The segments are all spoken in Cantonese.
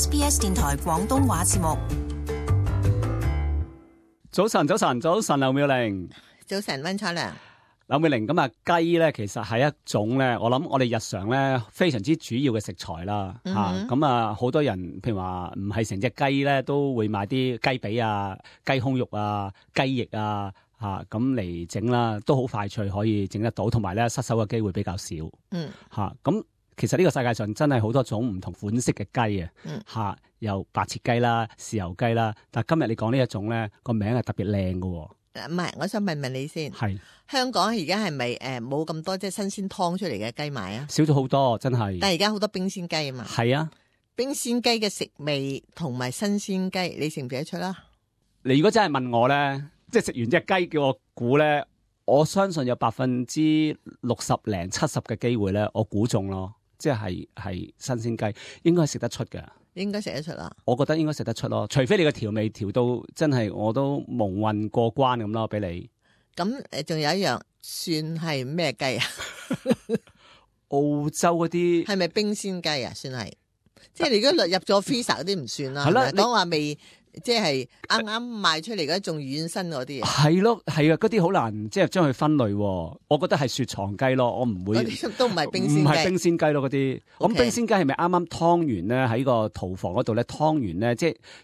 SBS 電台廣東話節目。早晨，劉妙玲。早晨，溫彩良。劉妙玲，咁啊雞咧，其實係一種咧，我諗我哋日常咧非常之主要嘅食材啦。咁啊，好多人譬如話唔係成隻雞咧，都會買啲雞髀啊、雞胸肉啊、雞翼啊咁嚟整啦，都好快脆可以整得到，同埋咧失手嘅機會比較少。咁其實呢個世界上真係好多種唔同款式嘅雞啊。有白切雞啦、豉油雞啦，但係今日你講呢一種咧，個名係特別靚嘅。唔係，我想問你先。係香港而家係咪冇咁多即係新鮮劏出嚟嘅雞賣啊？少咗好多，真係。但係而家好多冰鮮雞啊嘛。係啊，冰鮮雞嘅食味同埋新鮮雞，你食唔食得出啦？你如果真係問我咧，即係食完隻雞叫我估咧，我相信有60%、70%嘅機會咧，我估中咯。即係新鮮雞，應該係食得出嘅。應該食得出啦。我覺得應該食得出咯，除非你個調味調到真係我都蒙混過關咁咯，俾你。咁仲有一樣，算係咩雞啊？澳洲嗰啲係咪冰鮮雞啊？算係，即係你如果入咗 freezer 嗰啲唔算啦。係啦，講話未。即係啱啱賣出嚟嗰種軟身嗰啲啊，係咯，係啊，嗰啲好難即係將佢分類。我覺得係雪藏雞咯，我唔會都唔係冰鮮雞，唔係冰鮮雞咯嗰啲。咁冰鮮雞係咪啱啱湯完咧喺個屠房嗰度咧湯完咧，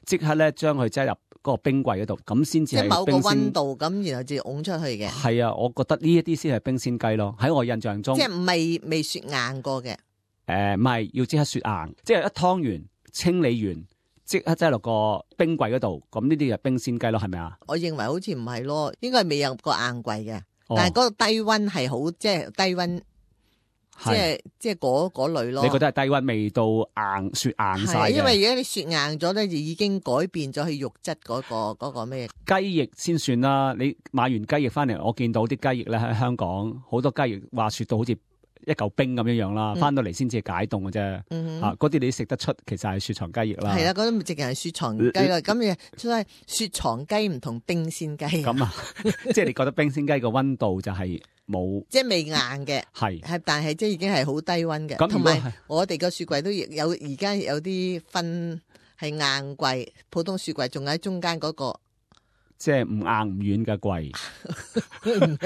即刻咧將佢擠入嗰個冰櫃嗰度，咁先至係冰鮮。即係某個溫度咁，然後至拱出去嘅。係啊，我覺得呢一啲先係冰鮮雞咯。喺我印象中，即係未雪硬過嘅。唔係要即刻雪硬，即係一湯完清理完。即刻擠落個冰櫃嗰度，咁呢啲就冰鮮雞咯，係咪啊？我認為好似唔係咯，應該係未入過硬櫃嘅，但係嗰個低溫係好，即係低溫，即係嗰類咯。你覺得係低溫未到硬雪硬晒嘅？因為而家你雪硬咗咧，就已經改變咗佢肉質嗰個咩？雞翼先算啦，你買完雞翼翻嚟，我見到啲雞翼咧喺香港好多雞翼話雪到好似一嚿冰咁樣樣啦，翻到嚟先至解凍嘅啫。嗰啲你食得出，其實係雪藏雞翼啦。係啦，嗰啲直情係雪藏雞啦。咁所以雪藏雞唔同冰鮮雞。咁啊，即係你覺得冰鮮雞個溫度就係冇，即係未硬嘅。係，但係即係已經係好低溫嘅。同埋我哋個雪櫃都有，而家有啲分係硬櫃，普通雪櫃仲喺中間嗰個。即係唔硬唔軟嘅櫃，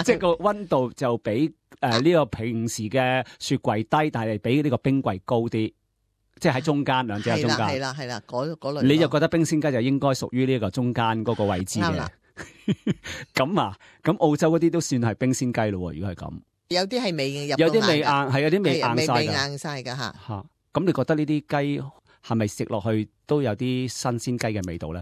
即係個溫度就比呢個平時嘅雪櫃低，但係比呢個冰櫃高啲，即係喺中間，兩者喺中間。係啦，嗰類。你就覺得冰鮮雞就應該屬於呢個中間嗰個位置嘅。咁啊，咁澳洲嗰啲都算係冰鮮雞咯。如果係咁，有啲係未入，有啲未硬，係有啲未硬晒噶吓。咁你覺得呢啲雞係咪食落去都有啲新鮮雞嘅味道咧？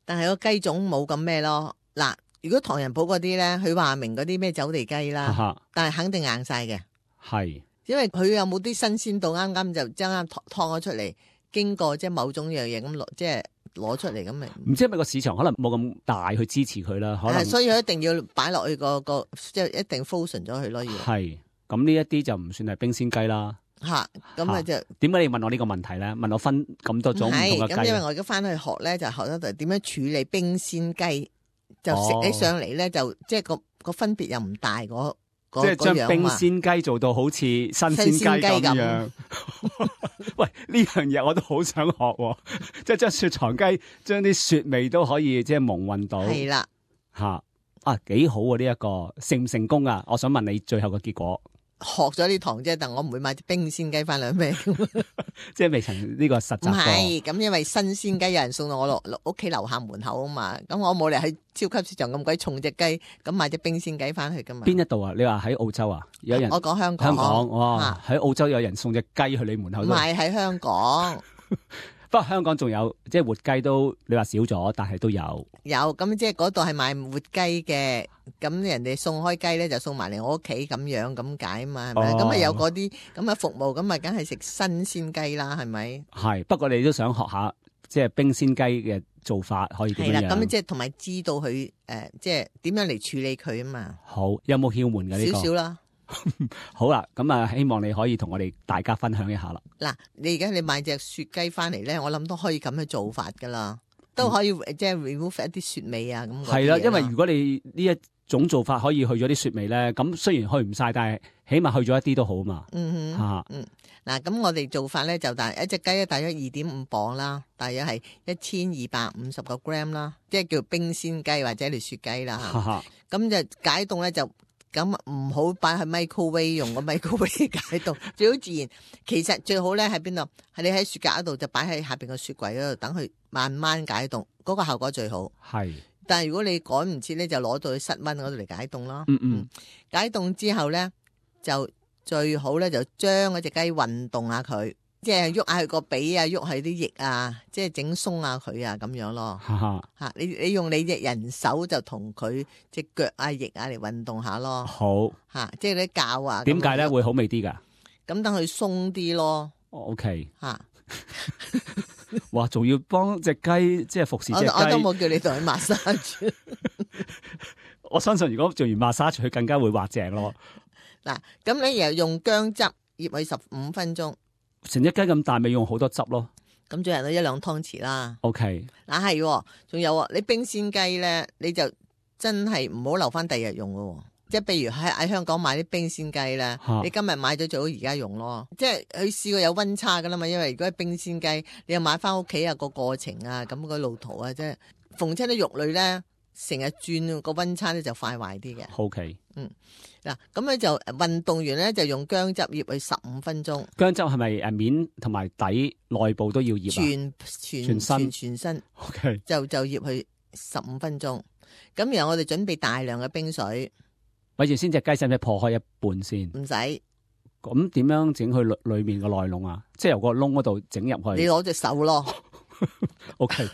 但係個雞種冇咁咩咯。嗱，如果唐人鋪嗰啲咧，佢話明嗰啲咩走地雞啦，但係肯定硬晒嘅。係，因為佢有冇啲新鮮度，啱啱就將啱燙咗出嚟，經過即係某種樣嘢咁攞，即係攞出嚟咁咪。唔知係咪個市場可能冇咁大去支持佢啦？可能所以佢一定要擺落去個即係一定 frozen 咗佢咯。要係，咁呢一啲就唔算係冰鮮雞啦。咁啊就點解你問我呢個問題咧？問我分咁多種唔同嘅雞？咁因為我而家翻去學咧，就學得就點樣處理冰鮮雞，就食起上嚟咧，就即係個分別又唔大嗰即係將冰鮮雞做到好似新鮮雞咁樣。喂，呢樣嘢我都好想學，即係將雪藏雞，將啲雪味都可以即係蒙混到。係啦，幾好啊！呢一個成唔成功啊？我想問你最後嘅結果。學咗呢堂啫，但我唔會買隻冰鮮雞翻嚟咩？即係未曾呢個實習過。唔係，咁因為新鮮雞有人送到我落屋企樓下門口啊嘛，咁我冇嚟去超級市場咁鬼重隻雞，咁買隻冰鮮雞翻去噶嘛。邊一度啊？你話喺澳洲啊？有人我講香港。香港哇，喺澳洲有人送隻雞去你門口。唔係喺香港。不過香港仲有即係活雞都，你話少咗，但係都有。有咁即係嗰度係賣活雞嘅，咁人哋送開雞咧就送埋嚟我屋企咁樣咁解嘛，係咪？咁啊有嗰啲咁嘅服務，咁啊梗係食新鮮雞啦，係咪？係，不過你都想學下即係冰鮮雞嘅做法可以點樣？係啦，咁即係同埋知道佢即係點樣嚟處理佢啊嘛。好，有冇竅門嘅呢個？少少啦。好啦，咁啊，希望你可以同我哋大家分享一下啦。嗱，你而家你買隻雪雞翻嚟咧，我諗都可以咁樣做法噶啦，都可以即係 remove 一啲雪味啊咁。係啦，因為如果你呢一種做法可以去咗啲雪味咧？咁雖然去唔晒，但係起碼去咗一啲都好嘛。嗱，咁我哋做法咧就一隻雞咧大約2.5磅啦，大約係1250個 gram 啦，即係叫冰鮮雞或者係雪雞啦。咁就解凍咧就咁唔好擺喺 microwave 用個 microwave 解凍，最好自然。其實最好咧喺邊度？係你喺雪格嗰度就擺喺下邊個雪櫃嗰度，等佢慢慢解凍，嗰個效果最好。係。但係如果你趕唔切咧，就攞到去室溫嗰度嚟解凍咯。解凍之後咧就最好咧就將嗰隻雞運動下佢，即係喐下佢個髀啊，喐下啲翼啊，即係整鬆下佢啊，咁樣咯。吓，你用你隻人手就同佢隻腳啊、翼啊嚟運動下咯。好吓，即係啲教啊。點解咧會好味啲噶？咁等佢鬆啲咯。OK 吓。哇，仲要幫隻雞即係服侍隻雞。我都冇叫你同佢抹沙住。我相信如果做完抹沙，佢更加會滑正咯。嗱，咁你又用薑汁醃佢15分鐘，成隻雞咁大，咪用好多汁咯。咁最後都1-2湯匙啦。OK，嗱係，仲有你冰鮮雞咧，你就真係唔好留翻第二日用咯。即係譬如喺香港買啲冰鮮雞咧，你今日買咗最好而家用咯。即係佢試過有溫差噶啦嘛，因為如果係冰鮮雞，你又買翻屋企啊個過程啊，咁個路途啊，即係逢親啲肉類咧，成日轉個溫差咧就快壞啲嘅。OK，嗱，咁咧就運動完咧就用薑汁醃佢15分鐘。薑汁係咪面同埋底內部都要醃啊？全身。OK， 就醃佢15分鐘。咁然後我哋準備大量嘅冰水。咪住先，隻雞使唔使破開一半先？唔使。咁點樣整去裏面個內籠啊？即係由個窿嗰度整入去。你攞隻手咯。OK。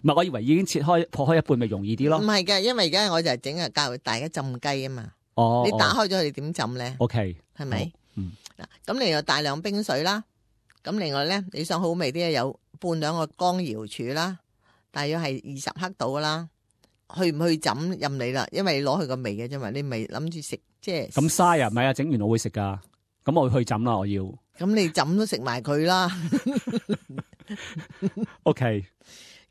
唔係，我以為已經破開一半咪容易啲咯。唔係嘅，因為而家我就係整教大家浸雞啊嘛。哦。你打開咗佢點浸咧 ？OK。係咪？嗱，咁你有大量冰水啦。咁另外咧，你想好味啲有半兩個乾瑤柱啦，大約係20克到啦。去唔去浸任你啦，因為你攞佢個味嘅啫嘛，你咪諗住食即係。咁嘥啊？唔係啊，整完我會食噶。咁我會去浸啦，我要。咁你浸都食埋佢啦。OK。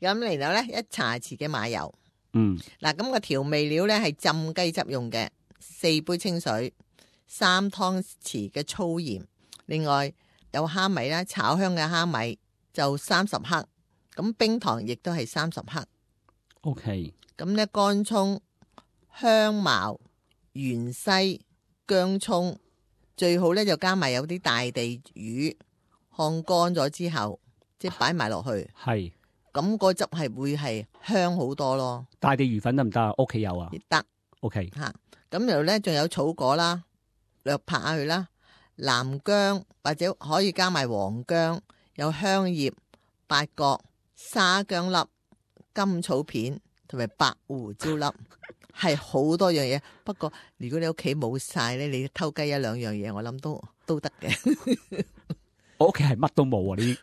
咁然後咧，1茶匙嘅馬油。嗱，咁個調味料咧係浸雞汁用嘅，4杯清水，3湯匙嘅粗鹽，另外有蝦米啦，炒香嘅蝦米就30克，咁冰糖亦都係30克。OK。咁咧乾葱、香茅、芫茜、薑葱，最好咧就加埋有啲大地魚，烘乾咗之後，即係擺埋落去。係。咁個汁係會係香好多咯。大地魚粉得唔得啊？屋企有啊？得。OK。吓，咁然後咧仲有草果啦，略拍下去啦，南薑或者可以加埋黃薑，有香葉、八角、沙薑粒、甘草片。同埋白胡椒粒係好多樣嘢，不過如果你屋企冇晒咧，你偷雞1-2樣嘢，我諗都得嘅。我屋企係乜都冇啊！呢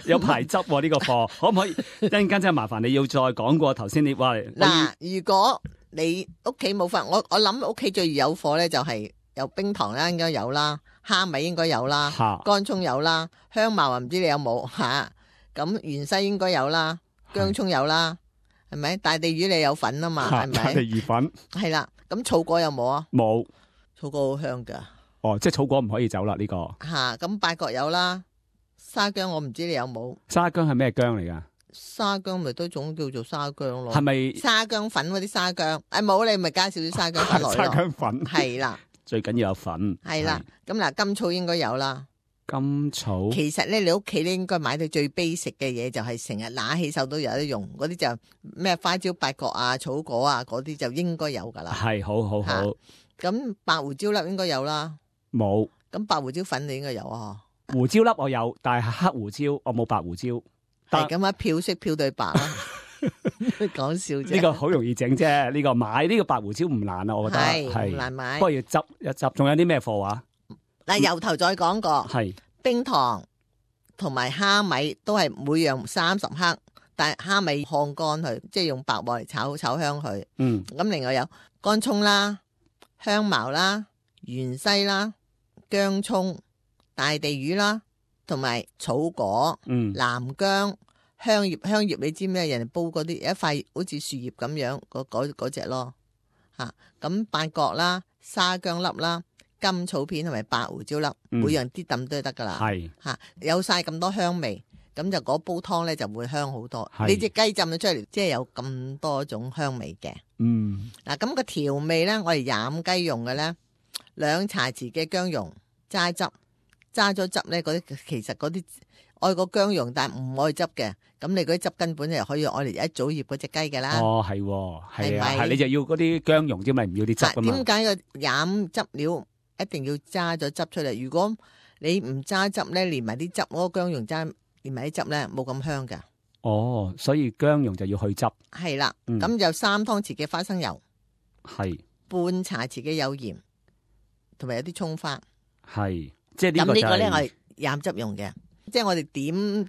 有排汁喎呢個貨，可唔可以一陣間真係麻煩你要再講過頭先你話嗱，如果你屋企冇貨，我諗屋企最易有貨咧就係有冰糖啦，應該有啦，蝦米應該有啦，乾葱有啦，香茅啊唔知你有冇吓，咁芫茜應該有啦，薑葱有啦。係咪大地魚你有粉啊嘛？係咪大地魚粉？係啦，咁草果有冇啊？冇，草果好香噶。哦，即係草果唔可以走啦呢個。吓，咁八角有啦，沙薑我唔知你有冇。沙薑係咩薑嚟噶？沙薑咪都種叫做沙薑咯。係咪沙薑粉嗰啲沙薑？冇你咪加少啲沙薑粉落咯。沙薑粉係啦，最緊要有粉。係啦，咁嗱，甘草應該有啦。甘草其實咧，你屋企咧應該買到最 basic 嘅嘢，就係成日拿起手都有得用，嗰啲就咩花椒、八角啊、草果啊嗰啲就應該有噶啦。係，好。咁白胡椒粒應該有啦。冇。咁白胡椒粉你應該有啊。胡椒粒我有，但係黑胡椒我冇白胡椒。係咁啊，漂色漂對白啦。講笑啫。呢個好容易整啫，呢個買呢個白胡椒唔難啊，我覺得係唔難買。不過要執一執，仲有啲咩貨啊？嗱，由頭再講過，係冰糖同埋蝦米都係每樣30克，但係蝦米烘乾佢，即係用白鑊嚟炒香佢。咁另外有乾葱啦、香茅啦、芫茜啦、薑葱、大地魚啦，同埋草果、南薑、香葉，香葉你知咩？人哋煲嗰啲有一塊好似樹葉咁樣嗰隻咯嚇。咁八角啦、沙薑粒啦、甘草片同埋白胡椒粒，每樣啲揼都得噶啦。係嚇，有晒咁多香味，咁就嗰煲湯咧就會香好多。你隻雞浸咗出嚟，即係有咁多種香味嘅。嗱，咁個調味咧，我哋飲雞用嘅咧，2茶匙嘅薑蓉揸汁，揸咗汁咧，嗰啲其實嗰啲愛個薑蓉，但係唔愛汁嘅。咁你嗰啲汁根本就可以愛嚟一早醃嗰隻雞㗎啦。哦，係啊，你就要嗰啲薑蓉啫嘛，唔要啲汁㗎嘛。點解個飲汁料一定要揸咗汁出嚟？如果你唔揸汁咧，連埋啲汁嗰個薑蓉揸，連埋啲汁咧，冇咁香㗎。哦，所以薑蓉就要去汁。係啦，咁就3湯匙嘅花生油，係半茶匙嘅有鹽，同埋有啲葱花。係，即係呢個就係。咁呢個咧，我係飲汁用嘅。即係我哋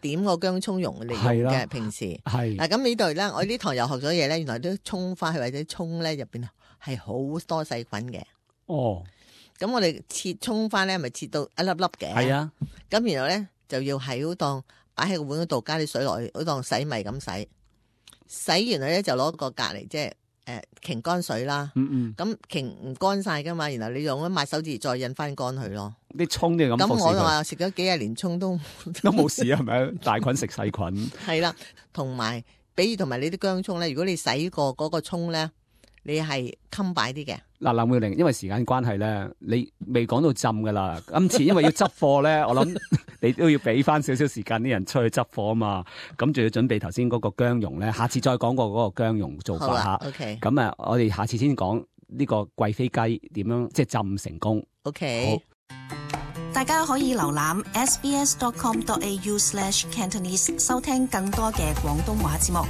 點個薑葱蓉嚟用嘅，平時係嗱。咁呢度咧，我呢堂又學咗嘢咧，原來啲葱花或者葱咧入邊係好多細菌嘅。哦，咁我哋切葱花咧，咪切到一粒粒嘅。係啊，咁然後咧就要喺嗰檔擺喺個碗嗰度加啲水落去，嗰檔洗米咁洗，洗完咧就攞個隔籬即係擎乾水啦。咁擎唔乾晒噶嘛，然後你用一抹手指再印翻乾佢咯。啲葱你咁服侍佢。咁我就話食咗幾廿年葱都冇事啊，係咪？大菌食細菌。係啦，同埋，比如同埋你啲薑葱咧，如果你洗過嗰個葱咧，你係襟擺啲嘅。嗱，林妙玲，因為時間關係咧，你未講到浸噶啦。今次因為要執貨咧，我諗你都要俾翻少少時間啲人出去執貨啊嘛。咁仲要準備頭先嗰個薑蓉咧，下次再講過嗰個薑蓉做法吓。OK。咁啊，我哋下次先講呢個貴妃雞點樣即係浸成功。OK。好。大家可以瀏覽 sbs.com.au/Cantonese 收聽更多嘅廣東話節目。